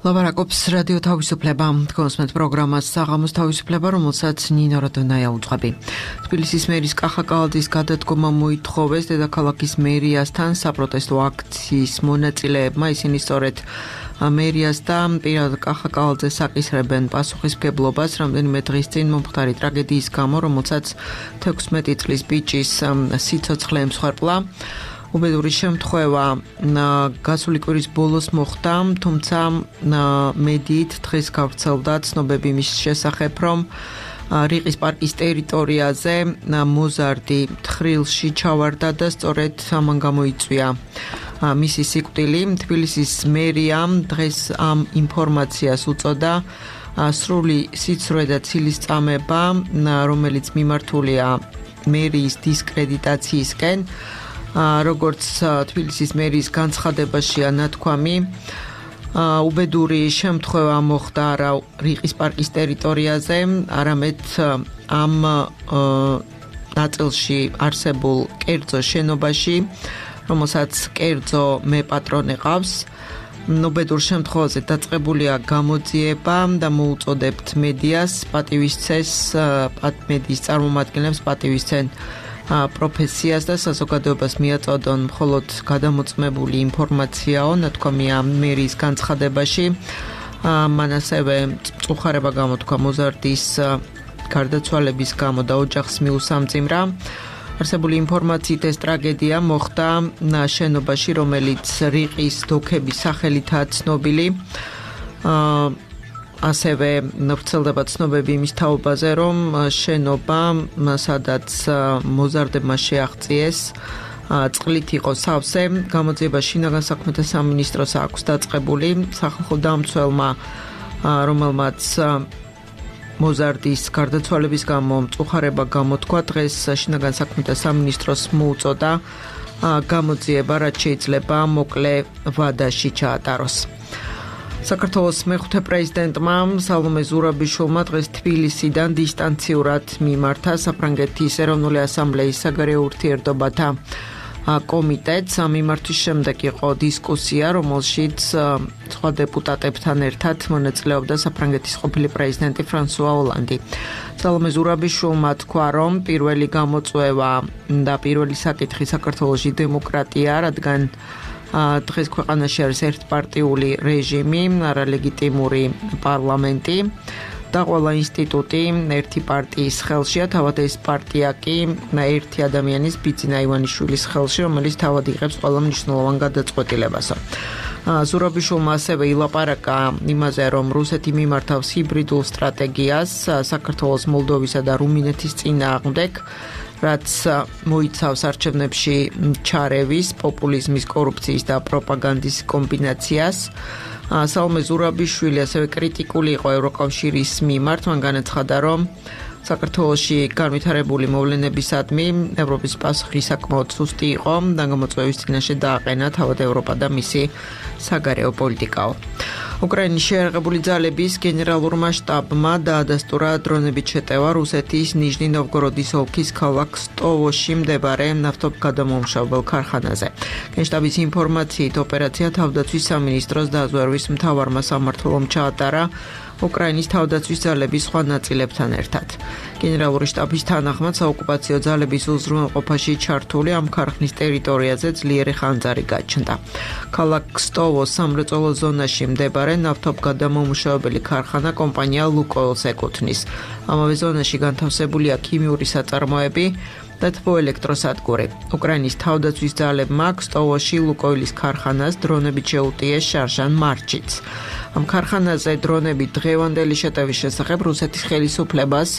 ლაპარაკობს რადიო თავისუფლება. კონსმეთ პროგრამას საღამოს თავისუფლება, რომელსაც ნინო როდონაია უძღვები. თბილისის მერის კახა კალაძის გადადგომა მოითხოვეს დედაქალაქის მერიასთან საპროტესტო აქციის მონაწილეებმა. ისინი სწორედ მერიას და პირად კახა კალაძეს აკისრებენ პასუხისმგებლობას რამდენიმე დღის წინ მომხდარი ტრაგედიის გამო, რომელსაც 16 წლის ბიჭის სიცოცხლე ემსხვერპლა. უბედური შემთხვევა გასული კვირის ბოლოს მოხდა, თუმცა მედიით დღეს გავრცელდა ცნობები მის შესახებ, რომ რიყის პარკის ტერიტორიაზე მოზარდი თხრილში ჩავარდა და სწორედ ამან გამოიწვია მისი სიკვდილი. თბილისის მერიამ დღეს ამ ინფორმაციას უწოდა სრული სიცრუე და ცილისწამება, რომელიც მიმართულია მერიის დისკრედიტაციისკენ. როგორც თბილისის მერის განცხადებაშია ნათქვამი, უბედური შემთხვევა მოხდა არა რიყის პარკის ტერიტორიაზე, არამედ ამ ნაწილში არსებულ კერძო შენობაში, რომელსაც კერძო მეპატრონე ყავს. უბედურ შემთხვევაზე დაწყებულია გამოძიება და მოუწოდებთ მედიას პატივისცეს, მედიის წარმომადგენლებს პატივისცენ პროფესიას და საზოგადოებას მიაწოდონ მხოლოდ გადამოწმებული ინფორმაციაო, ნათქვამია მერიის განცხადებაში. მან ასევე მწუხარება გამოთქვა მოზარდის გარდაცვალების გამო და ოჯახს მიუსამძიმრა. არსებული ინფორმაციით ეს ტრაგედია მოხდა შენობაში, რომელიც რიყის დოქების სახელითაა ცნობილი. ასევე ვრცელდება ცნობები იმის თაობაზე, რომ შენობა, სადაც მოზარდებმა შეაღწიეს, წყლით იყო სავსე. გამოძიება შინაგან საქმეთა სამინისტროს აქვს დაწყებული. სახალხო დამცველმა, რომელმაც მოზარდის გარდაცვალების გამო მწუხარება გამოთქვა, დღეს შინაგან საქმეთა სამინისტროს მოუწოდა გამოძიება, რაც შეიძლება მოკლე ვადაში ჩაატაროს. საქართველოს მეხუთე პრეზიდენტმა სალომე ზურაბიშვილმა დღეს თბილისიდან დისტანციურად მიმართა საფრანგეთის ეროვნული ასამბლეის საგარეო ურთიერთობათა კომიტეტს. ამ მიმართვის შემდეგ იყო დისკუსია, რომელშიც სხვა დეპუტატებთან ერთად მონაწილეობდა საფრანგეთის ყოფილი პრეზიდენტი ფრანსუა ოლანდი. სალომე ზურაბიშვილმა თქვა, რომ პირველი გამოწვევა და პირველი საკითხი საქართველოში დემოკრატია, რადგან დღეს ქვეყანაში არის ერთპარტიული რეჟიმი, არალეგიტიმური პარლამენტი და ყველა ინსტიტუტი ერთი პარტიის ხელშია, თავად ეს პარტია კი ერთი ადამიანის, ბიძინა ივანიშვილის ხელში, რომელიც თავად იღებს ყველა მნიშვნელოვან გადაწყვეტილებასო. ზურაბიშვილმა ასევე ილაპარაკა იმაზე, რომ რუსეთი მიმართავს ჰიბრიდულ სტრატეგიას საქართველოს, მოლდოვისა და რუმინეთის წინააღმდეგ, რაც მოიცავს არჩევნებში ჩარევის, პოპულიზმის, კორუფციის და პროპაგანდის კომბინაციას. სალომე ზურაბიშვილი ასევე კრიტიკული იყო ევროკავშირის მიმართ, მან განაცხადა, რომ საქართველოში განვითარებული მოვლენებისადმი ევროპის პასუხი საკმაოდ სუსტი იყო და გამოწვევის წინაშე დააყენა თავად ევროპა და მისი საგარეო პოლიტიკაო. უკრაინის შეიარაღებული ძალების გენერალურმა შტაბმა დაადასტურა დრონებით შეტევა რუსეთის ნიჟნი-ნოვგოროდის ოლქის ქალაქ სტოვოში მდებარე ნავთობგადამამუშავებელ ქარხანაზე. გენშტაბის ინფორმაციით ოპერაცია თავდაცვის სამინისტროს დაზვერვის მთავარმა სამმართველომ ჩაატარა უკრაინის თავდაცვის ძალების სხვა ნაწილებთან ერთად. გენერალური შტაბის თანახმად საოკუპაციო ძალების უზრუნველყოფაში ჩართული ამ ქარხნის ტერიტორიაზე ძლიერი ხანძარი გაჩნდა. ქალაქ სტოვოს სამრეწველო ზონაში მდებარე ნავთობგადამამუშავებელი ქარხანა კომპანია ლუკოილს ეკუთვნის. ამავე ზონაში განთავსებულია ქიმიური საწარმოები და თბოელექტროსადგური. უკრაინის თავდაცვის ძალებმა სტოვოში ლუკოილის ქარხანას დრონებით შეუტიეს შარჟან მარჩიც. ამ ქარხანაზე დრონები დღევანდელი შეტევის შესახებ რუსეთის ხელისუფლებას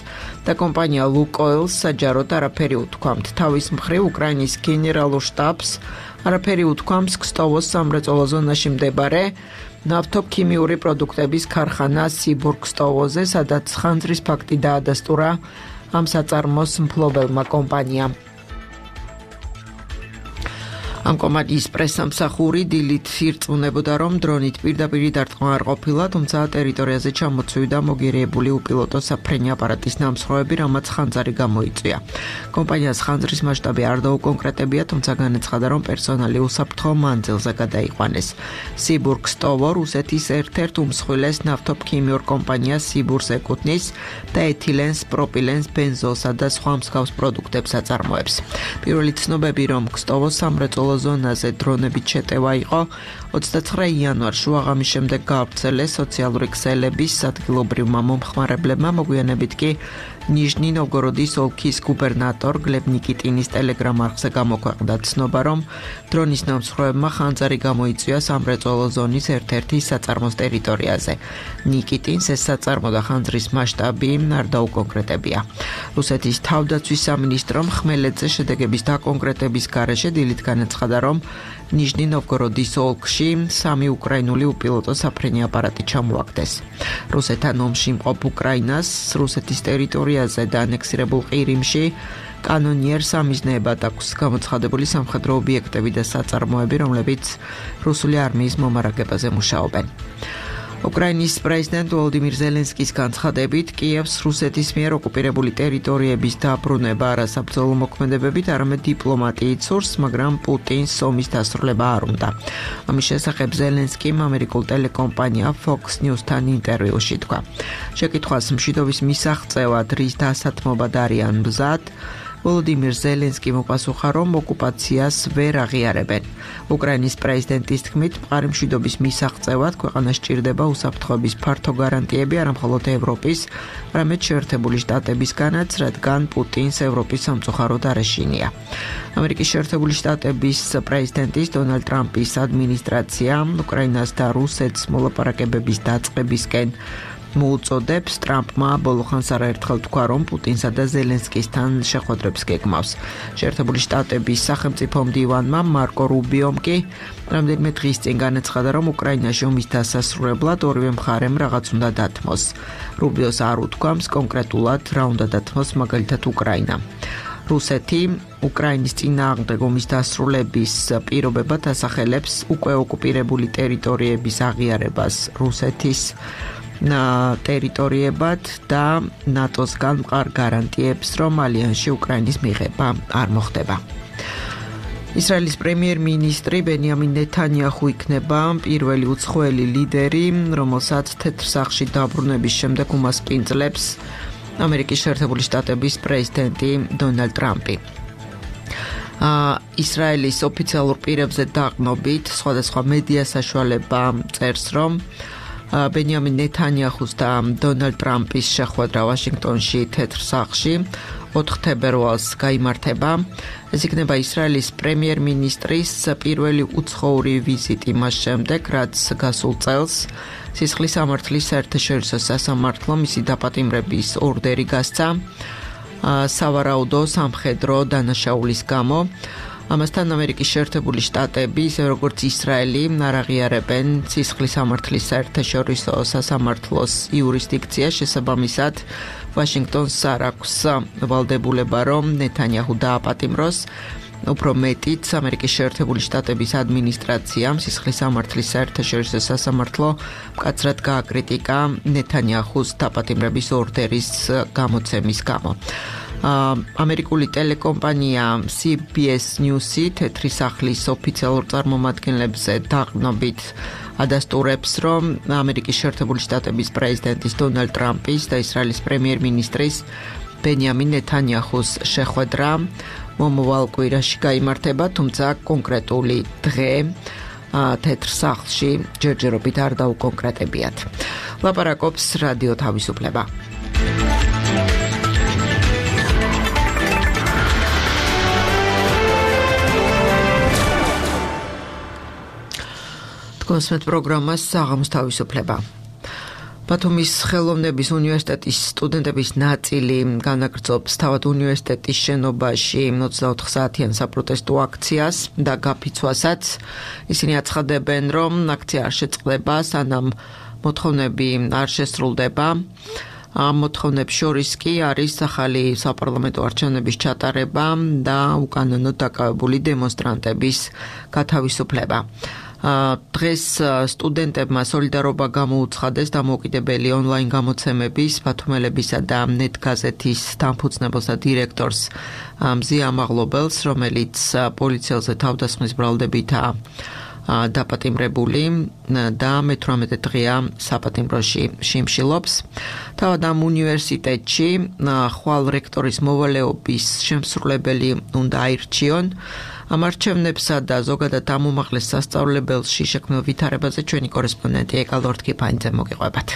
და კომპანია ლუკოილს საჯაროდ არაფერი უთქვამთ. თავის მხრივ უკრაინის გენერალურ შტაბს არაფერი უთქვამს სტოვოს სამრეწველო ზონაში მდებარე ნავთობქიმიური პროდუქტების ქარხანა სიბურგ-სტოვოზე, სადაც ხანძრის ფაქტი დაადასტურა ამ საწარმოს მფლობელმა კომპანიამ. ამ კომპანიის პრესამსახური დილით ირწმუნებოდა, რომ დრონით პირდაპირ დარტყმა არ ყოფილა, თუმცა ტერიტორიაზე ჩამოცვიდა მოგერიებული უპილოტო საფრენი აპარატის ნამსხვრევები, რამაც ხანძარი გამოიწვია. კომპანიას ხანძრის მასშტაბი არ დაუკონკრეტებია, თუმცა განაცხადა, რომ პერსონალი უსაფრთხო მანძილზე გადაიყვანეს. სიბურგსტოვო რუსეთის ერთ-ერთ უმსხვილეს ნავთობქიმიურ კომპანიას სიბურს ეკუთვნის და ეთილენს, პროპილენს, ბენზოლსა და სხვა მსგავს პროდუქტებს აწარმოებს. პირველი ცნობები, რომ ქსტოვოს სამრეწველო ზონაზე დრონებით შეტევა იყო 29 იანვარს შუაღამის შემდეგ გაავრცელეს სოციალური ქსელების ადგილობრივმა მომხმარებლებმა, მოგვიანებით კი ნიჟნი ნოვგოროდის ოლქის გუბერნატორ გლებ ნიკიტინის ტელეგრამ არხზე გამოქვეყნდა ცნობა, რომ დრონის ნამსხვრევებმა ხანძარი გამოიწვია სამრეწველო ზონის ერთ-ერთი საწარმოს ტერიტორიაზე. ნიკიტინს ეს საწარმო და ხანძრის მასშტაბი არ დაუკონკრეტებია. რუსეთის თავდაცვის სამინისტრომ ხმელეთზე შედეგების დაკონკრეტების გარეშე დილით განაცხადა, რომ ნიჟნი ნოვგოროდის ოლქში 3 უკრაინული უპილოტო საფრენი აპარატი ჩამოაგდეს. რუსეთთან ომში მყოფ უკრაინას რუსეთის ტერიტორიაზე და ანექსირებულ ყირიმში კანონიერს ამიზნეებად აქვს გამოცხადებული სამხედრო ობიექტები და საწარმოები, რომლებიც რუსული არმიის მომარაგებაზე მუშაობენ. უკრაინის პრეზიდენტ ვოლოდიმირ ზელენსკის განცხადებით, კიევს რუსეთის მიერ ოკუპირებული ტერიტორიების დაბრუნება არასაბრძოლო მოქმედებებით, არამედ დიპლომატიით სურს, მაგრამ პუტინს ომის დასრულება არ უნდა. ამის შესახებ ზელენსკიმ ამერიკულ ტელეკომპანია Fox News-თან ინტერვიუში თქვა. შეკითხვას მშვიდობის მისაღწევად რის დასათმობად არიან მზად, ვოლოდიმირ ზელენსკიმ უპასუხა, რომ ოკუპაციას ვერ აღიარებენ. უკრაინის პრეზიდენტის თქმით, მყარი მშვიდობის მისაღწევად ქვეყანას სჭირდება უსაფრთხოების ფართო გარანტიები არა მხოლოდ ევროპის, არამედ შეერთებული შტატებისგანაც, რადგან პუტინს ევროპის სამწუხაროდ არ ეშინია. ამერიკის შეერთებული შტატების პრეზიდენტის დონალდ ტრამპის ადმინისტრაცია უკრაინას და რუსეთს მოლაპარაკებების დაწყებისკენ მოუწოდებს. ტრამპმა ბოლოხანს არაერთხელ თქვა, რომ პუტინსა და ზელენსკისთან შეხვედრებს გეგმავს. შეერთებული შტატების სახელმწიფო მდივანმა მარკო რუბიომ კი რამდენიმე დღის წინ განაცხადა, რომ უკრაინაში ომის დასასრულებლად ორივე მხარემ რაღაც უნდა დათმოს. რუბიოს არ უთქვამს კონკრეტულად რა უნდა დათმოს, მაგალითად უკრაინა. რუსეთი უკრაინის წინააღმდეგ ომის დასრულების პირობებად ასახელებს უკვე ოკუპირებული ტერიტორიების აღიარებას რუსეთის ტერიტორიებად და ნატოსგან მყარ გარანტიებს, რომ ალიანსში უკრაინის მიღება არ მოხდება. ისრაელის პრემიერ-მინისტრი ბენიამინ ნეთანიაჰუ იქნება პირველი უცხოელი ლიდერი, რომელსაც თეთრ სახლში დაბრუნების შემდეგ უმასპინძლებს ამერიკის შეერთებული შტატების პრეზიდენტი დონალდ ტრამპი. ისრაელის ოფიციალურ პირებზე დაყნობით სხვადასხვა მედია საშუალება წერს, რომ ბენიამინ ნეთანიაჰუს და დონალდ ტრამპის შეხვედრა ვაშინგტონში თეთრ სახლში 4 თებერვალს გაიმართება. ეს იქნება ისრაელის პრემიერ-მინისტრის პირველი უცხოური ვიზიტი მას შემდეგ, რაც გასულ წელს სისხლის სამართლის საერთაშორისო სასამართლო მისი დაპატიმრების ორდერი გასცა სავარაუდო სამხედრო დანაშაულის გამო. ამასთან ამერიკის შეერთებული შტატები, ისე როგორც ისრაელი, არ აღიარებენ სისხლის სამართლის საერთაშორისო სასამართლოს იურისდიქცია, შესაბამისად ვაშინგტონს არ აქვს ვალდებულება, რომ ნეთანიაჰუ დააპატიმროს. უფრო მეტიც, ამერიკის შეერთებული შტატების ადმინისტრაციამ სისხლის სამართლის საერთაშორისო სასამართლო მკაცრად გააკრიტიკა ნეთანიაჰუს დაპატიმრების ორდერის გამოცემის გამო. ამერიკული ტელეკომპანია CBS News-ი თეთრი სახლის ოფიციალურ წარმომადგენლებზე დაყნობით ადასტურებს, რომ ამერიკის შეერთებული შტატების პრეზიდენტის დონალდ ტრამპის და ისრაელის პრემიერ-მინისტრის ბენიამინ ნეთანიაჰუს შეხვედრა მომავალ კვირაში გაიმართება, თუმცა კონკრეტული დღე თეთრ სახლში ჯერჯერობით არ დაუკონკრეტებიათ. ლაპარაკობს რადიო თავისუფლება. კონსმეთ პროგრამას საღამოს თავისუფლება. ბათუმის ხელოვნების უნივერსიტეტის სტუდენტების ნაწილი განაგრძობს თავად უნივერსიტეტის შენობაში 24 საათიან საპროტესტო აქციას და გაფიცვასაც. ისინი აცხადებენ, რომ აქცია არ შეწყდება, სანამ მოთხოვნები არ შესრულდება. ამ მოთხოვნებს შორის კი არის ახალი საპარლამენტო არჩევნების ჩატარება და უკანონოდ დაკავებული დემონსტრანტების გათავისუფლება. დღეს სტუდენტებმა სოლიდარობა გამოუცხადეს დამოუკიდებელი ონლაინ გამოცემების, ბათუმელებისა და ნეტგაზეთის დამფუძნებელს და დირექტორს მზია ამაღლობელს, რომელიც პოლიციელზე თავდასხმის ბრალდებითაა დაპატიმრებული და მე-18 დღეა საპატიმროში შიმშილობს. თავად ამ უნივერსიტეტში ხვალ რექტორის მოვალეობის შემსრულებელი უნდა აირჩიონ. ამ არჩევნებსა და ზოგადად ამ უმაღლეს სასწავლებელში შექმნილ ვითარებაზე ჩვენი კორესპონდენტი ეკალ ორთქიფანიძე მოგიყვებათ.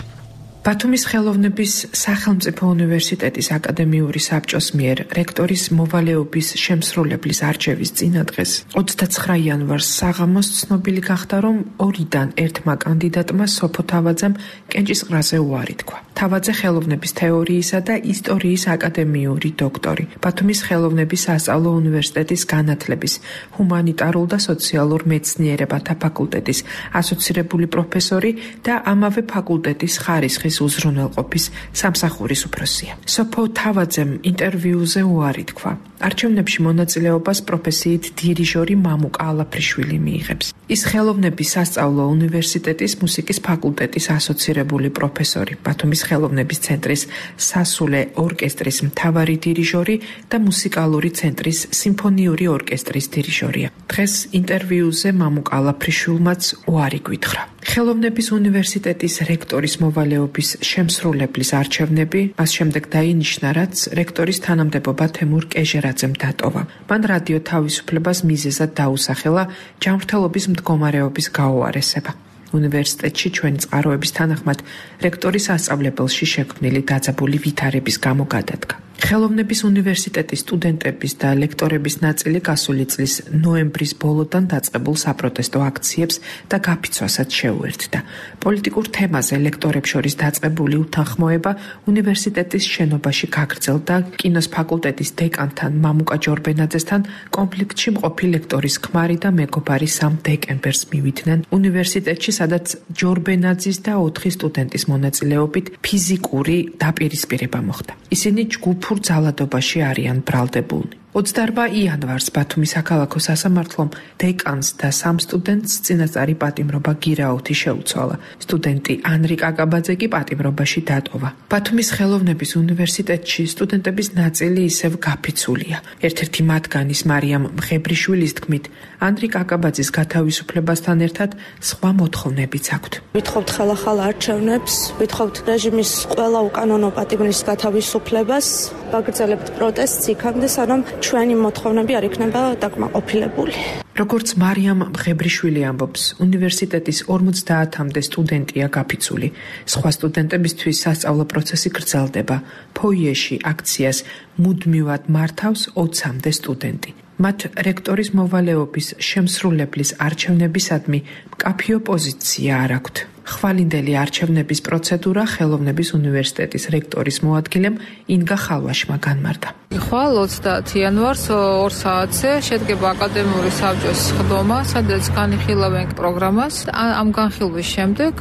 ბათუმის ხელოვნების სახელმწიფო უნივერსიტეტის აკადემიური საბჭოს მიერ რექტორის მოვალეობის შემსრულებლის არჩევის წინადღეს 29 იანვარს საღამოს ცნობილი გახდა, რომ ორიდან ერთმა კანდიდატმა სოფო თავაძემ კენჭისყრაზე უარი თქვა. თავაძე ხელოვნების თეორიისა და ისტორიის აკადემიური დოქტორი, ბათუმის ხელოვნების სასწავლო უნივერსიტეტის განათლების, ჰუმანიტარულ და სოციალურ მეცნიერებათა ფაკულტეტის ასოცირებული პროფესორი და ამავე ფაკულტეტის ხარისხის უზრუნველყოფის სამსახურის უფროსია. სოფო თავაძემ ინტერვიუზე უარი თქვა. არჩევნებში მონაწილეობას პროფესიით დირიჟორი მამუკა ალაფრიშვილი მიიღებს. ის ხელოვნების სასწავლო უნივერსიტეტის მუსიკის ფაკულტეტის ასოცირებული პროფესორი, ბათუმის ხელოვნების ცენტრის სასულე ორკესტრის მთავარი დირიჟორი და მუსიკალური ცენტრის სიმფონიური ორკესტრის დირიჟორია. დღეს ინტერვიუზე მამუკა ალაფრიშვილმაც უარი გითხრა. ხელოვნების უნივერსიტეტის რექტორის მოვალეობის შემსრულებლის არჩევნები მას შემდეგ დაინიშნა, რაც რექტორის თანამდებობა თემურ კეჟერაძემ დატოვა. მან რადიო თავისუფლებას მიზეზად დაუსახელა ჯანმრთელობის მდგომარეობის გაუარესება. უნივერსიტეტში ჩვენი წყაროების თანახმად რექტორის სასწავლებელში შექმნილი დაძაბული ვითარების გამო გადადგა. ხელოვნების უნივერსიტეტის სტუდენტების და ლექტორების ნაწილი გასული წლის ნოემბრის ბოლოდან დაწყებულ საპროტესტო აქციებს და გაფიცვასაც შეუერთდა. პოლიტიკურ თემაზე ლექტორებს შორის დაწყებული უთანხმოება უნივერსიტეტის შენობაში გაგრძელდა კინოს ფაკულტეტის დეკანთან მამუკა ჯორბენაძესთან კონფლიქტში მყოფი ლექტორის ქმარი და მეგობარი 3 დეკემბერს მივიდნენ უნივერსიტეტში, სადაც ჯორბენაძის და 4 სტუდენტის მონაწილეობით ფიზიკური დაპირისპირება მოხდა. ისინი ჯგუფურ ძალადობაში არიან ბრალდებულნი. 28 იანვარს ბათუმის საქალაქო სასამართლომ დეკანს და 3 სტუდენტს წინასწარი პატიმრობა გირაუთი შეუცვალა. სტუდენტი ანრი კაკაბაძე კი პატიმრობაში დატოვა. ბათუმის ხელოვნების უნივერსიტეტში სტუდენტების ნაწილი ისევ გაფიცულია. ერთ-ერთი მათგანის მარიამ მღებრიშვილის თქმით, ანრი კაკაბაძის გათავისუფლებასთან ერთად სხვა მოთხოვნებიც აქვთ. ვითხოვთ ხელახალ არჩევნებს, ვითხოვთ რეჟიმის ყველა უკანონო პატიმრის გათავისუფლებას, ვაგრძელებთ პროტესტს იქამდე, სანამ ჩვენი მოთხოვნები არ იქნება დაკმაყოფილებული. როგორც მარიამ მღებრიშვილი ამბობს, უნივერსიტეტის 50-მდე სტუდენტია გაფიცული. სხვა სტუდენტებისთვის სასწავლო პროცესი გრძელდება. ფოიეში აქციას მუდმივად მართავს 20-მდე სტუდენტი. მათ რექტორის მოვალეობის შემსრულებლის არჩევნებისადმი მკაფიო პოზიცია არ აქვთ. ხვალინდელი არჩევნების პროცედურა ხელოვნების უნივერსიტეტის რექტორის მოადგილემ ინგა ხალვაშმა განმარტა. ხვალ 20 იანვარს 2 საათზე შედგება აკადემიური საბჭოს ხდომა, სადაც განიხილავენ პროგრამას. ამ განხილვის შემდეგ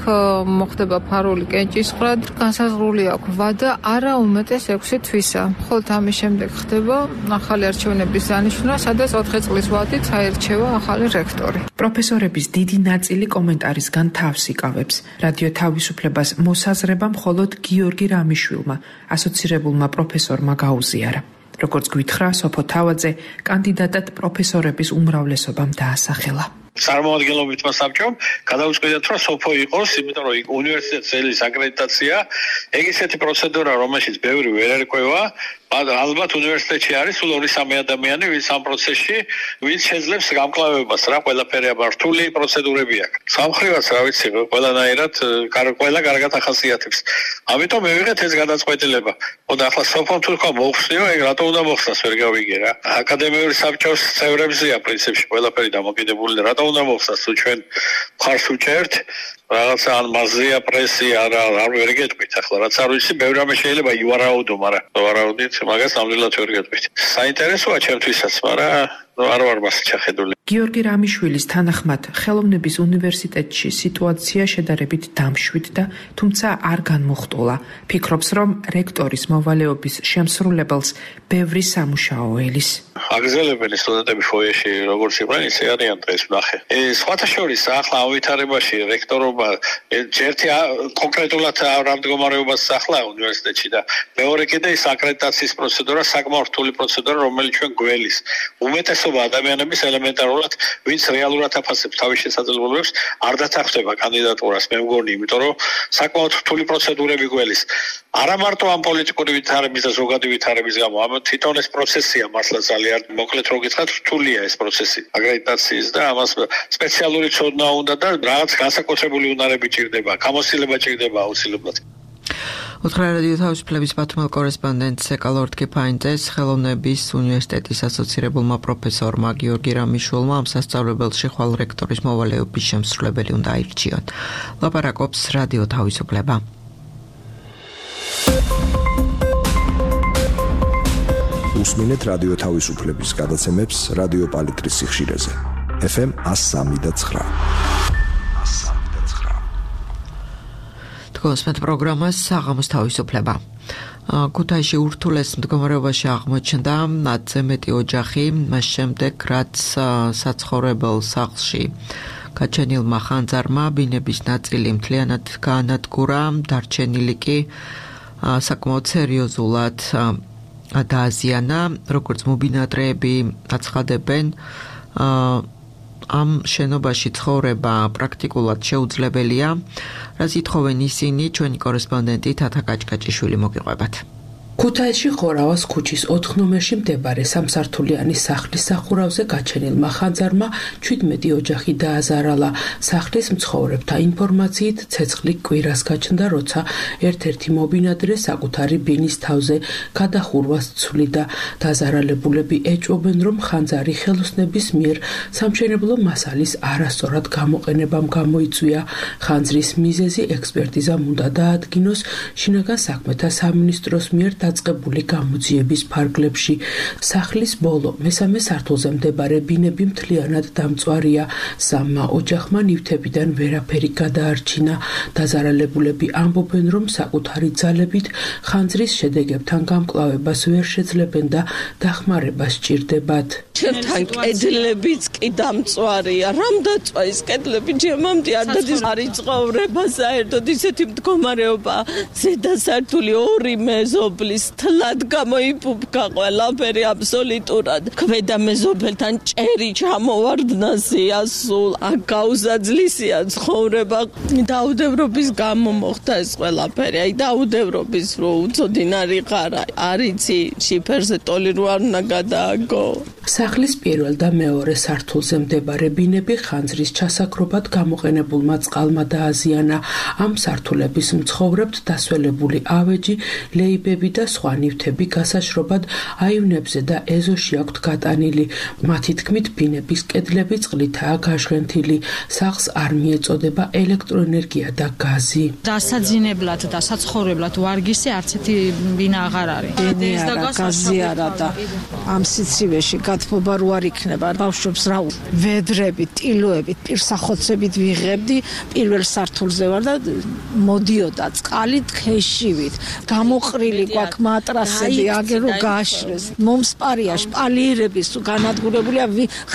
მოხდება ფარული კენჭისყრა, განსაზღვრული აქვს ვადა არა უმეტეს 6 თვისა. ხოლო ამის შემდეგ ხდება ახალი არჩევნების დანიშვნა, სადაც 4 წლის ვადით აირჩევა ახალი რექტორი. პროფესორების დიდი ნაწილი კომენტარისგან თავს იკავებს. რადიო თავისუფლებას მოსაზრება მხოლოდ გიორგი რამიშვილმა, ასოცირებულმა პროფესორმა გაუზიარა. როგორც გვითხრა სოფო თავაძე, კანდიდატად პროფესორების უმრავლესობამ დაასახელა. წარმომადგენლობითმა საბჭომ გადაუწყვეტათ, რომ სოფო იყოს, იმიტომ რომ უნივერსიტეტის წელის აკრედიტაცია, ეგ ისეთი პროცედურა, რომელშიც ბევრი ვერ ერკვევა. ალბათ უნივერსიტეტში არის სულ 2-3 ადამიანი, ვინც ამ პროცესში, ვინც შეძლებს გამკლავებას, რა ყველაფერი რთული პროცედურები აქვს. სამხრივაც რა ვიცი, ყველანაირად ყველა კარგად ახასიათებს. ამიტომ მივიღეთ ეს გადაწყვეტილება. ხოდა ახლა სოფომ თუ თქვა მოხსნიო, ეგ რატო უნდა მოხსნას, ვერ გავიგე რა. აკადემიური საბჭოს წევრებზეა პრინციპში ყველაფერი დამოკიდებული, რატო უნდა მოხსნას, თუ ჩვენ მხარს უჭერთ რაღაცა ან მაზია პრესია არ ვერ გეტყვით ახლა რაც არ ვიცი ბევრი რამე შეიძლება ივარაუდო, მაგრამ ვარაუდით მაგას ნამდვილად ვერ გეტყვით. საინტერესოა ჩემთვისაც, მაგრამ არ ვარ მას ჩახედული. გიორგი რამიშვილის თანახმად, ხელოვნების უნივერსიტეტში სიტუაცია შედარებით დამშვიდ და თუმცა არ განმოხტულა. ფიქრობს, რომ რექტორის მოვალეობის შემსრულებელს ბევრი სამუშაო ელის. აგზელებენ სტუდენტები ფოიეში როგორც იყვნენ, ისე არიან დღეს ვნახე. სხვათა შორის ახლა ავითარებაში რექტორობა ერთი კონკრეტულად რა მდგომარეობას ახლა უნივერსიტეტში და მეორე კიდე ის აკრედიტაციის პროცედურა საკმაოდ რთული პროცედურა, რომელიც ჩვენ გველის უმეტესობა ადამიანების ელემენტარულად ვინც რეალურად აფასებს თავის შესაძლებლობებს არ დათანხმდება კანდიდატურას მე მგონი იმიტომ რომ საკმაოდ რთული პროცედურები გველის არა მარტო ამ პოლიტიკური ვითარების და ზოგადი ვითარების გამო ამ თვითონ ეს პროცესია მართლა ძალიან მოკლედ რო გითხრათ რთულია ეს პროცესი აკრედიტაციის და ამას სპეციალური ცოდნა უნდა და რაღაც განსაკუთრებული უნარები ჭირდება გამოცდილება ჭირდება აუცილებლად უთხრა რადიო თავისუფლების ბათუმელ კორესპონდენტს ეკალორდ კიფაინძეს ხელოვნების უნივერსიტეტის ასოცირებულმა პროფესორმა გიორგი რამიშვილმა ამ სასწავლებელში ხვალ რექტორის მოვალეობის შემსრულებელი უნდა აირჩიონ. ლაპარაკობს რადიო თავისუფლება. უსმინეთ რადიო თავისუფლების გადაცემებს რადიო პალიტრის სიხშირეზე. FM 103.9. გოსმეთ პროგრამას საღამოს თავისუფლება. ქუთაისში ურთულეს მდგომარეობაში აღმოჩნდა 10-ზე მეტი ოჯახი, მას შემდეგ რაც საცხოვრებელ სახლში გაჩენილმა ხანძარმა ბინების ნაწილი მთლიანად გაანადგურა, დარჩენილი კი საკმაოდ სერიოზულად დააზიანა, როგორც მობინადრეები აცხადებენ, ამ შენობაში ცხოვრება პრაქტიკულად შეუძლებელია, რაც ითხოვენ ისინი, ჩვენი კორესპონდენტი თათა კაჭკაჭიშვილი მოგიყვებათ. ქუთაისში ხორავას ქუჩის 4 ნომერში მდებარე სამსართულიანი სახლის სახურავზე გაჩენილმა ხანძარმა 17 ოჯახი დააზარალა. სახლის მცხოვრებთა ინფორმაციით ცეცხლი კვირას გაჩნდა, როცა ერთ-ერთი მობინადრე საკუთარი ბინის თავზე გადახურვას ცვლიდა. დაზარალებულები ეჭვობენ, რომ ხანძარი ხელოსნების მიერ სამშენებლო მასალის არასწორად გამოყენებამ გამოიწვია. ხანძრის მიზეზი ექსპერტიზამ უნდა დაადგინოს შინაგან საქმეთა სამინისტროს მიერ დაწყებული გამოძიების ფარგლებში. სახლის ბოლო მესამე სართულზე მდებარე ბინები მთლიანად დამწვარია. სამმა ოჯახმა ნივთებიდან ვერაფერი გადაარჩინა. დაზარალებულები ამბობენ, რომ საკუთარი ძალებით ხანძრის შედეგებთან გამკლავებას ვერ შეძლებენ და დახმარება სჭირდებათ. ჩემთან კედლებიც კი დამწვარია. რამ დაწვა ის კედლები ჩემამდე არ დადის არ იცხოვრება საერთოდ ისეთი მდგომარეობა. ზედა სართული 2 მეზობლის თლად გამოიფუფკა ყველაფერი აბსოლუტურად. ქვედა მეზობელთან ჭერი ჩამოვარდნასია სულ. აქ გაუზაძლისია ცხოვრება. დაუდევრობის გამო მოხდა ეს ყველაფერი. აი დაუდევრობის რო უცოდინარი ხარა. არიცი შიფერზე ტოლი რო არ უნდა გადააგო. სახლის პირველ და მეორე სართულზე მდებარე ბინები ხანძრის ჩასაქრობად გამოყენებულმა წყალმა დააზიანა. ამ სართულების მცხოვრებთ დასველებული ავეჯი, ლეიბები და სხვა ნივთები გასაშრობად აივნებზე და ეზოში აქვთ გატანილი. მათი თქმით, ბინების კედლები წყლითაა გაჟღენთილი. სახლს არ მიეწოდება ელექტროენერგია და გაზი. დასაძინებლად და საცხოვრებლად ვარგისი არც ერთი ბინა აღარ არის. გაზი არა და ამ სიცივეში გათბობა რო არ იქნება. ბავშვებს რა ვედრებით, ტილოებით, პირსახოცებით ვიღებდი. პირველ სართულზე ვარ და მოდიოდა წყალი თხეშივით. გამოყრილი გვაქვს მატრასები, აგერო გაშრეს. მომსპარია შპალიერების განადგურებულია,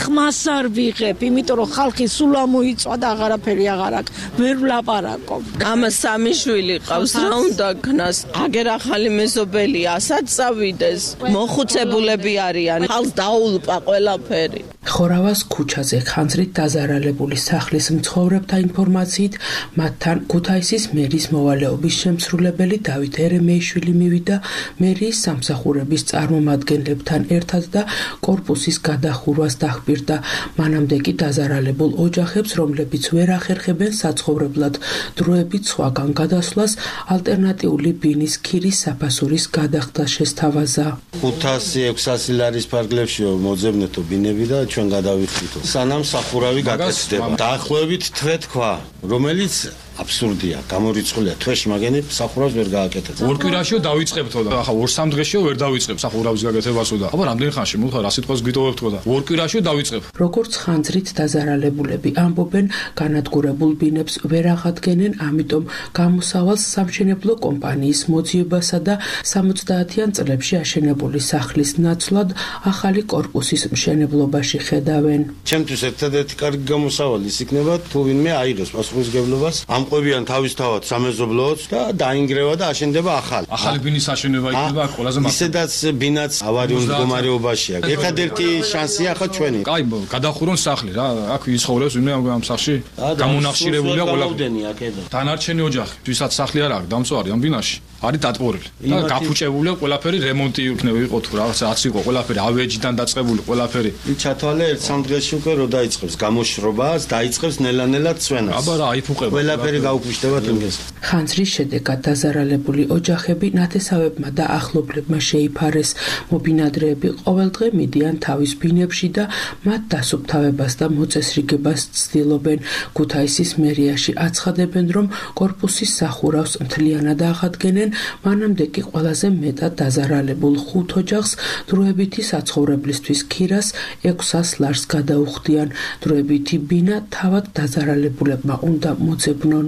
ხმას არ ვიღებ, იმიტომ რომ ხალხი სულ ამოიწვა და აღარაფერი აღარ აქვს. ვერ ვლაპარაკობ. ამას სამი შვილი ყავს, რა უნდა ქნას? აგერ ახალი მეზობელია, ასაც წავიდეს. მოხუცებულები არიან. ხალხს დაულპა ყველაფერი. ხორავას ქუჩაზე ხანძრით დაზარალებული სახლის მცხოვრებთა ინფორმაციით მათთან ქუთაისის მერის მოვალეობის შემსრულებელი დავით ერემეიშვილი მივიდა მერიის სამსახურების წარმომადგენლებთან ერთად და კორპუსის გადახურვას დახბირდა. მანამდე კი დაზარალებულ ოჯახებს, რომლებიც ვერ ახერხებენ საცხოვრებლად დროებით სხვაგან გადასვლას, ალტერნატიული ბინის ქირის საფასურის გადახდა შესთავაზა. 500-600 ლარის ფარგლებშიო მოძებნეთო ბინები და ჩვენ გადავიხდითო. სანამ სახურავი გაკეთდება. დაახლოებით თვე თქვა, რომელიც აბსურდია, გამორიცხულია თვეში მაგენი სახურავს ვერ გააკეთებს. ორ კვირაშიო დავიწყებთო და ახლა 2-3 დღეშიო ვერ დავიწყებ სახურავის გაკეთებასო და აბა რამდენი ხანში მოხდა რა სიტყვას გიტოვებთო და ორ კვირაშიო დავიწყებ. როგორც ხანძრით დაზარალებულები ამბობენ, განადგურებულ ბინებს ვერ აღადგენენ, ამიტომ გამოსავალს სამშენებლო კომპანიის მოძიებასა და 70-იან წლებში აშენებული სახლის ნაცვლად ახალი კორპუსის მშენებლობაში ხედავენ. ჩემთვის ერთადერთი კარგი გამოსავალი ის იქნება, თუ ვინმე აიღებს პასუხისმგებლობას, ამყვებიან თავისთავად სამეზობლოც და დაინგრევა და აშენდება ახალი. ახალი ბინის აშენება იქნება ყველაზე მარტივი. ისედაც ბინაც ავარიულ მდგომარეობაშია. ერთადერთი შანსია ხა ჩვენი. კაი, გადახურონ სახლი რა, აქ იცხოვრებს ვინმე ამ სახლში. გამონახშირებულია ყველაფერი. დანარჩენი ოჯახი, ვისაც სახლი არ აქვს დამწვარი ამ ბინაში, არის დატბორილი. და გაფუჭებულია ყველაფერი, რემონტი იქნება იყო თუ რაღაცაც იყო ყველაფერი ავეჯიდან დაწყებული ყველაფერი. ჩათვალე 1-3 დღეში უკვე რო დაიწყებს გამოშრობას, დაიწყებს ნელა-ნელა ცვენას. აბა რა, აიფუყება. ყველაფერი გაუკვიშდება თინგეს. ხანძრის შედეგად დაზარალებული ოჯახები ნათესავებმა და ახლობლებმა შეიფარეს. მობინადრეები ყოველდღე მიდიან თავის ბინებში და მათ დასუფთავებას და მოწესრიგებას ცდილობენ. ქუთაისის მერიაში აცხადებენ, რომ კორპუსის სახურავს მთლიანად აღადგენენ, მანამდე კი ყველაზე მეტად დაზარალებულ 5 ოჯახს დროებითი საცხოვრებლისთვის ქირას 600 ლარს გადაუხდიან. დროებითი ბინა თავად დაზარალებულებმა უნდა მოძებნონ.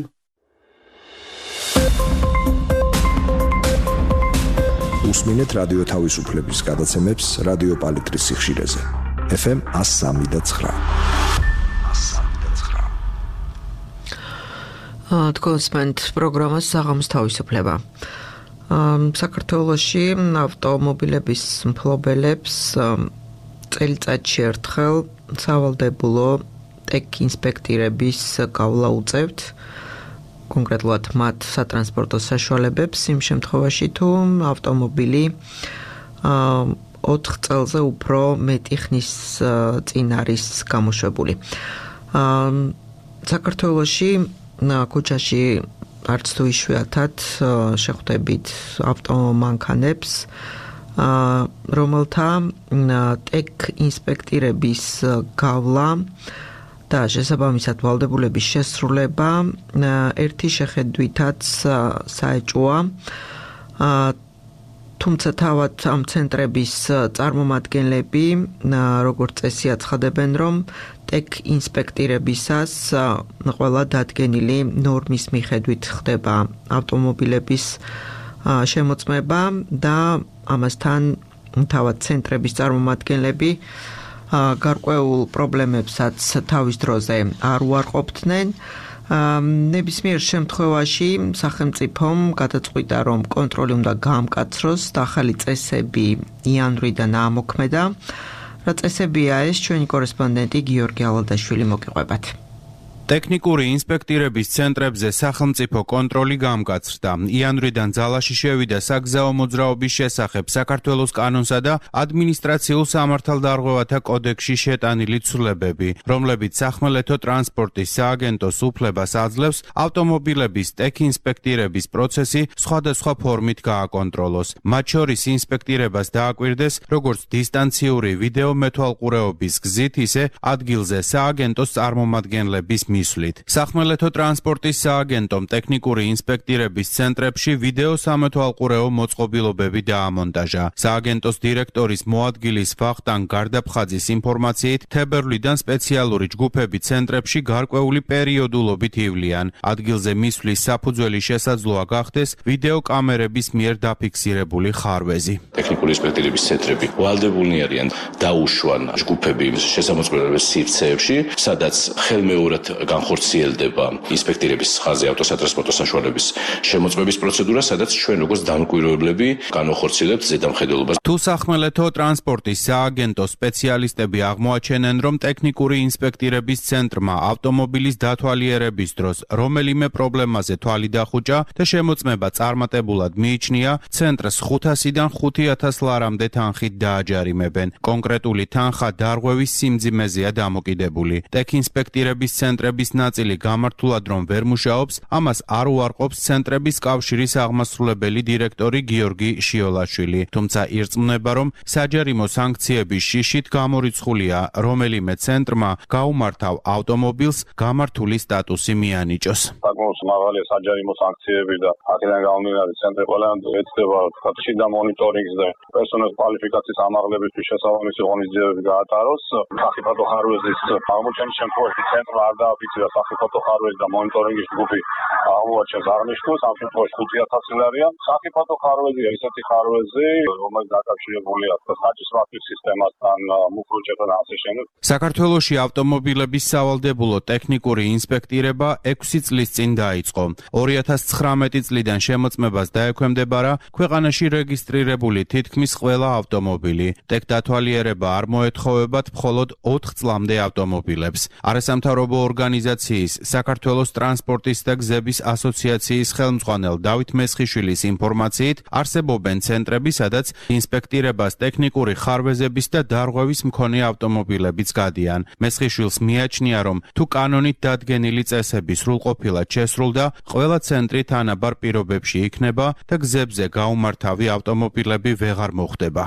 უსმინეთ რადიო თავისუფლების გადაცემებს რადიო პალიტრის სიხშირეზე. FM 103.9. თქვენსმენთ პროგრამას საღამოს თავისუფლება. საქართველოში ავტომობილების მფლობელებს წელიწადში ერთხელ სავალდებულო ტექ ინსპექტირების გავლა უწევთ. კონკრეტულად მათ სატრანსპორტო საშუალებებს იმ შემთხვევაში თუ ავტომობილი 4 წელზე უფრო მეტი ხნის წინ არის გამოშვებული. საქართველოში ქუჩაში არც თუ იშვიათად შეხვდებით ავტომანქანებს, რომელთა ტექ ინსპექტირების გავლა და შესაბამისად ვალდებულების შესრულება ერთი შეხედვითაც საეჭვოა. თუმცა თავად ამ ცენტრების წარმომადგენლები როგორც წესი აცხადებენ, რომ ტექ ინსპექტირებისას ყველა დადგენილი ნორმის მიხედვით ხდება ავტომობილების შემოწმება და ამასთან თავად ცენტრების წარმომადგენლები გარკვეულ პრობლემებსაც თავის დროზე არ უარყოფდნენ. ნებისმიერ შემთხვევაში სახელმწიფომ გადაწყვიტა, რომ კონტროლი უნდა გაამკაცროს და ახალი წესები იანვრიდან ამოქმედა. რა წესებია ეს, ჩვენი კორესპონდენტი გიორგი ალადაშვილი მოგიყვებათ. ტექნიკური ინსპექტირების ცენტრებზე სახელმწიფო კონტროლი გამკაცრდა. იანვრიდან ძალაში შევიდა საგზაო მოძრაობის შესახებ საქართველოს კანონსა და ადმინისტრაციულ სამართალდარღვევათა კოდექსში შეტანილი ცვლილებები, რომლებიც სახმელეთო ტრანსპორტის სააგენტოს უფლებას აძლევს ავტომობილების ტექ ინსპექტირების პროცესი სხვადასხვა ფორმით გააკონტროლოს. მათ შორის ინსპექტირებას დააკვირდეს როგორც დისტანციური ვიდეო მეთვალყურეობის გზით, ისე ადგილზე სააგენტოს წარმომადგენლების მისვლით. სახმელეთო ტრანსპორტის სააგენტომ ტექნიკური ინსპექტირების ცენტრებში ვიდეო სამეთვალყურეო მოწყობილობები დაამონტაჟა. სააგენტოს დირექტორის მოადგილის ვახტანგ გარდაფხაძის ინფორმაციით, თებერვლიდან სპეციალური ჯგუფები ცენტრებში გარკვეული პერიოდულობით ივლიან. ადგილზე მისვლის საფუძველი შესაძლოა გახდეს ვიდეო კამერების მიერ დაფიქსირებული ხარვეზი. ტექნიკური ინსპექტირების ცენტრები ვალდებულნი არიან დაუშვან ჯგუფები შესამოწმებლობის სივრცეებში, სადაც ხელმეორედ განხორციელდება ინსპექტირების ხაზი ავტოსატრანსპორტო საშუალების შემოწმების პროცედურა, სადაც ჩვენ როგორც დამკვირვებლები განვახორციელებთ ზედამხედველობას. თუ სახმელეთო ტრანსპორტის სააგენტოს სპეციალისტები აღმოაჩენენ, რომ ტექნიკური ინსპექტირების ცენტრმა ავტომობილის დათვალიერების დროს რომელიმე პრობლემაზე თვალი დახუჭა და შემოწმება წარმატებულად მიიჩნია, ცენტრს 500-დან 5000 ლარამდე თანხით დააჯარიმებენ. კონკრეტული თანხა დარღვევის სიმძიმეზეა დამოკიდებული. ტექ ინსპექტირების ცენტრები ავტომობილების ნაწილი გამართულად რომ ვერ მუშაობს, ამას არ უარყოფს ცენტრების კავშირის აღმასრულებელი დირექტორი გიორგი შიოლაშვილი. თუმცა ირწმუნება, რომ საჯარიმო სანქციების შიშით გამორიცხულია რომელიმე ცენტრმა გაუმართავ ავტომობილს გამართული სტატუსი მიანიჭოს. საკმაოდ მაღალი საჯარიმო სანქციები და აქედან გამომდინარე ცენტრი ყველანაირად ეცდება შიდა მონიტორინგს და პერსონალის კვალიფიკაციის ამაღლებისთვის შესაბამისი ღონისძიებები გაატაროს. სახიფათო ხარვეზის აღმოჩენის შემთხვევაში ცენტრმა არ დააფიქსირა სახიფათო ხარვეზი და მონიტორინგის ჯგუფი აღმოაჩენს აღნიშნულს, ამ შემთხვევაში 5,000 ლარია. სახიფათო ხარვეზია ისეთი ხარვეზი, რომელიც დაკავშირებულია საჭისვართვის სისტემასთან, მუხრუჭებთან ასე შემდეგ. საქართველოში ავტომობილების სავალდებულო ტექნიკური ინსპექტირება 6 წლის წინ დაიწყო. 2019 წლიდან შემოწმებას დაექვემდებარა ქვეყანაში რეგისტრირებული თითქმის ყველა ავტომობილი. ტექ დათვალიერება არ მოეთხოვებათ მხოლოდ 4 წლამდე ავტომობილებს. არასამთავრობო ორგანიზაციის საქართველოს ტრანსპორტის და გზების ასოციაციის ხელმძღვანელ დავით მესხიშვილის ინფორმაციით, არსებობენ ცენტრები, სადაც ინსპექტირებას ტექნიკური ხარვეზების და დარღვევის მქონე ავტომობილებიც გადიან. მესხიშვილს მიაჩნია, რომ თუ კანონით დადგენილი წესები სრულყოფილად შესრულდა, ყველა ცენტრი თანაბარ პირობებში იქნება და გზებზე გაუმართავი ავტომობილები ვეღარ მოხდება.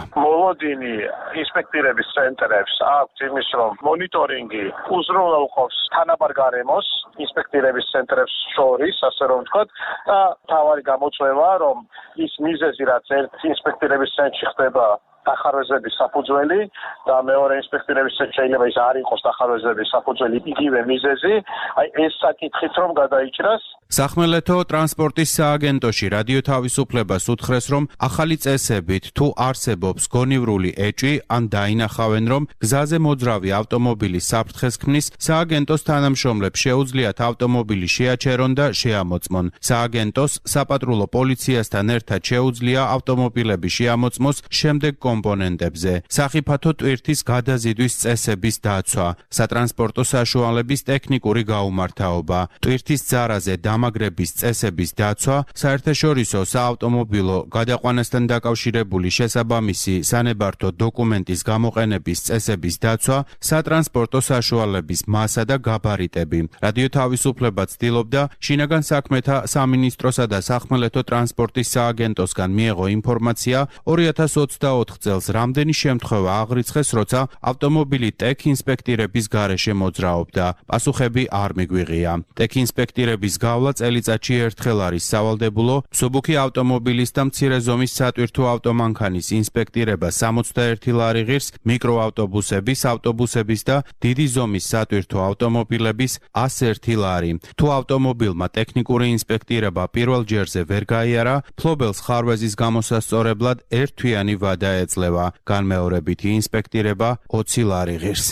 მოლოდინი ინსპექტირების ცენტრებს აქვს იმის, რომ მონიტორინგი უზრუნველყოფს თანაბარ გარემოს ინსპექტირების ცენტრებს შორის, ასე რომ ვთქვათ, და თავარი გამოწვევა, რომ ის მიზეზი, რაც ერთ ინსპექტირების ცენტრში ხდება დახარვეზების საფუძველი და მეორე ინსპექტირების ცენტრში შეიძლება ის არ იყოს დახარვეზების საფუძველი იგივე მიზეზი, აი ეს საკითხით რომ გადაიჭრას. სახმელეთო ტრანსპორტის სააგენტოში რადიო თავისუფლებას უთხრეს, რომ ახალი წესებით თუ არსებობს გონივრული ეჭვი ან დაინახავენ, რომ გზაზე მოძრავი ავტომობილის საფრთხეს ქმნის, სააგენტოს თანამშრომლებს შეუძლიათ ავტომობილი შეაჩერონ და შეამოწმონ. სააგენტოს საპატრულო პოლიციასთან ერთად შეუძლია ავტომობილები შეამოწმოს შემდეგ კომპონენტებზე. სახიფათო ტვირთის გადაზიდვის წესების დაცვა, სატრანსპორტო საშუალების ტექნიკური გაუმართავობა, ტვირთის ძარაზე დამაგრების წესების დაცვა, საერთაშორისო საავტომობილო გადაყვანასთან დაკავშირებული შესაბამისი სანებართო დოკუმენტის გამოყენების წესების დაცვა, სატრანსპორტო საშუალების მასა და გაბარიტები. რადიო თავისუფლება ცდილობდა შინაგან საქმეთა სამინისტროსა და სახმელეთო ტრანსპორტის სააგენტოსგან მიეღო ინფორმაცია 2024 წელს რამდენი შემთხვევა აღრიცხეს, როცა ავტომობილი ტექ ინსპექტირების გარეშე მოძრაობდა. პასუხები არ მიგვიღია. ტექ ინსპექტირების გავლა წელიწადში ერთხელ არის სავალდებულო, მსუბუქი ავტომობილის და მცირე ზომის სატვირთო ავტომანქანის ინსპექტირება 61 ლარი ღირს, მიკროავტობუსების, ავტობუსების და დიდი ზომის სატვირთო ავტომობილების 101 ლარი. თუ ავტომობილმა ტექნიკური ინსპექტირება პირველ ჯერზე ვერ გაიარა, ფლობელს ხარვეზის გამოსასწორებლად ერთთვიანი ვადა ეძლევა, განმეორებითი ინსპექტირება 20 ლარი ღირს.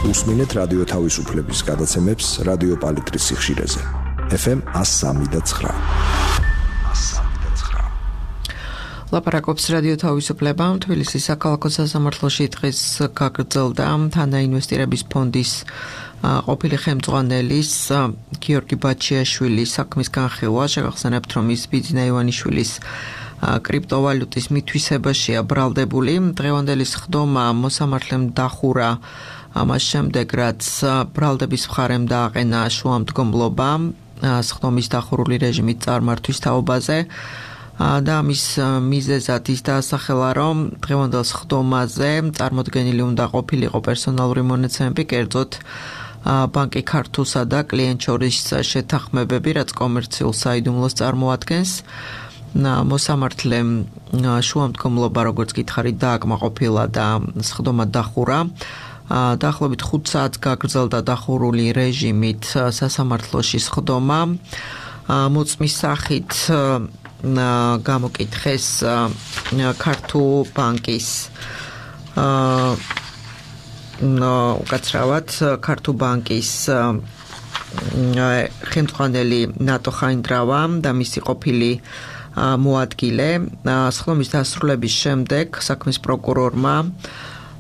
უსმინეთ რადიო თავისუფლების გადაცემებს რადიო პალიტრის სიხშირეზე. FM 103.9. ლაპარაკობს რადიო თავისუფლება. თბილისის საქალაქო სასამართლოში დღეს გაგრძელდა თანაინვესტირების ფონდის ყოფილი ხელმძღვანელის გიორგი ბაჩიაშვილის საქმის განხილვა. შეგახსენებთ, რომ ის ბიძინა ივანიშვილის კრიპტოვალუტის მითვისებაშია ბრალდებული. დღევანდელი სხდომა მოსამართლემ დახურა ამას შემდეგ, რაც ბრალდების მხარემ დააყენა შუამდგომლობა სხდომის დახურული რეჟიმით წარმართვის თაობაზე. და ამის მიზეზად ის დაასახელა, რომ დღევანდელ სხდომაზე წარმოდგენილი უნდა ყოფილიყო პერსონალური მონაცემები, კერძოდ ბანკი ქართულსა და კლიენტ შორის შეთანხმებები, რაც კომერციულ საიდუმლოს წარმოადგენს. მოსამართლემ შუამდგომლობა, როგორც გითხარით, დააკმაყოფილა და სხდომა დახურა. დაახლოებით 5 საათს გაგრძელდა დახურული რეჟიმით სასამართლოში სხდომა. მოწმის სახით გამოკითხეს ქართულ ბანკის უკაცრავად ქართულ ბანკის ხელმძღვანელი ნატო ხაინდრავა და მისი ყოფილი მოადგილე. სხდომის დასრულების შემდეგ საქმის პროკურორმა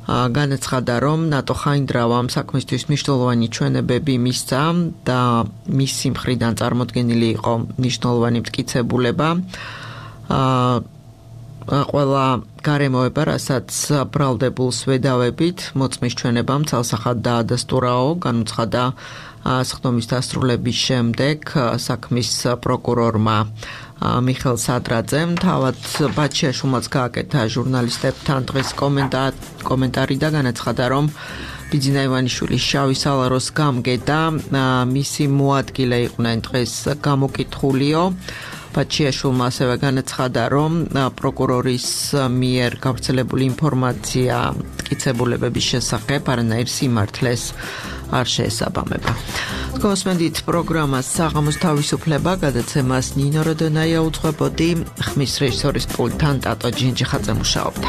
განაცხადა, რომ ნატო ხაინდრავამ საქმისთვის მნიშვნელოვანი ჩვენებები მისცა და მისი მხრიდან წარმოდგენილი იყო მნიშვნელოვანი მტკიცებულება. ყველა გარემოება, რასაც ბრალდებულს ვედავებით, მოწმის ჩვენებამ ცალსახად დაადასტურაო, განუცხადა სხდომის დასრულების შემდეგ საქმის პროკურორმა მიხელ სადრაძემ. თავად ბაჩიაშვილმაც გააკეთა ჟურნალისტებთან დღეს კომენტარი და განაცხადა, რომ ბიძინა ივანიშვილის შავი სალაროს გამგედა მისი მოადგილე იყვნენ დღეს გამოკითხულიო. ბაჩიაშვილმა ასევე განაცხადა, რომ პროკურორის მიერ გავრცელებული ინფორმაცია მტკიცებულებების შესახებ არანაირ სიმართლეს არ შეესაბამება. გოსმენდით პროგრამას საღამოს თავისუფლება გადაცემას ნინო როდონაია უძღვებოდი, ხმის რეჟისორის პულტთან ტატო ჯინჯიხაძე მუშაობდა.